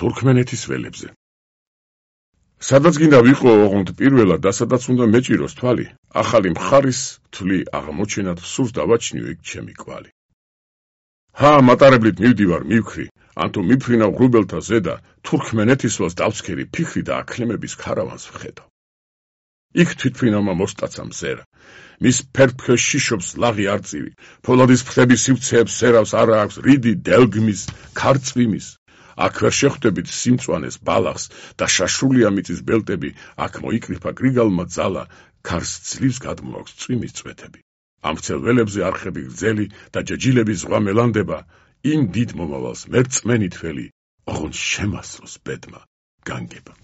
თურქმენეთის ველებზე. სადაც გინდა ვიყო ოღონდ პირველად და სადაც უნდა მეჭიროს თვალი, ახალი მხარის თვლი აღმოჩენად სურს დავაჩნიო იქ ჩემი კვალი. მატარებლით მივდივარ მივქრი, ანთუ მიფრინავ ღრუბელთა ზედა, თურქმენეთის ველს დავცქერი ფიქრი და აქლემების ქარავანს ვხედავ. იქ თვითფრინავმა მოსტაცა მზერა, მის ფერფქეს შიშობს ლაღი არწივი, ფოლადის ფრთების სივცეებს სერავს არა აქვს რიდი დელგმის, ქარწვიმის. აქ ვერ შეხვდებით სიმწვანეს ბალახს და შაშულია მიწის ბელტები, აქ მოიკრიფა გრიგალმა ძალა, ქარს ძლივს გადმოაქვს წვიმის წვეთები. ამ ვრცელ ველებზე არხები გრძელი და ჯაჯილების ზღვა მელანდება, იმ დიდ მომავალს მერწმენი თველი, ოღონდ შემასწროს ბედმა განგება.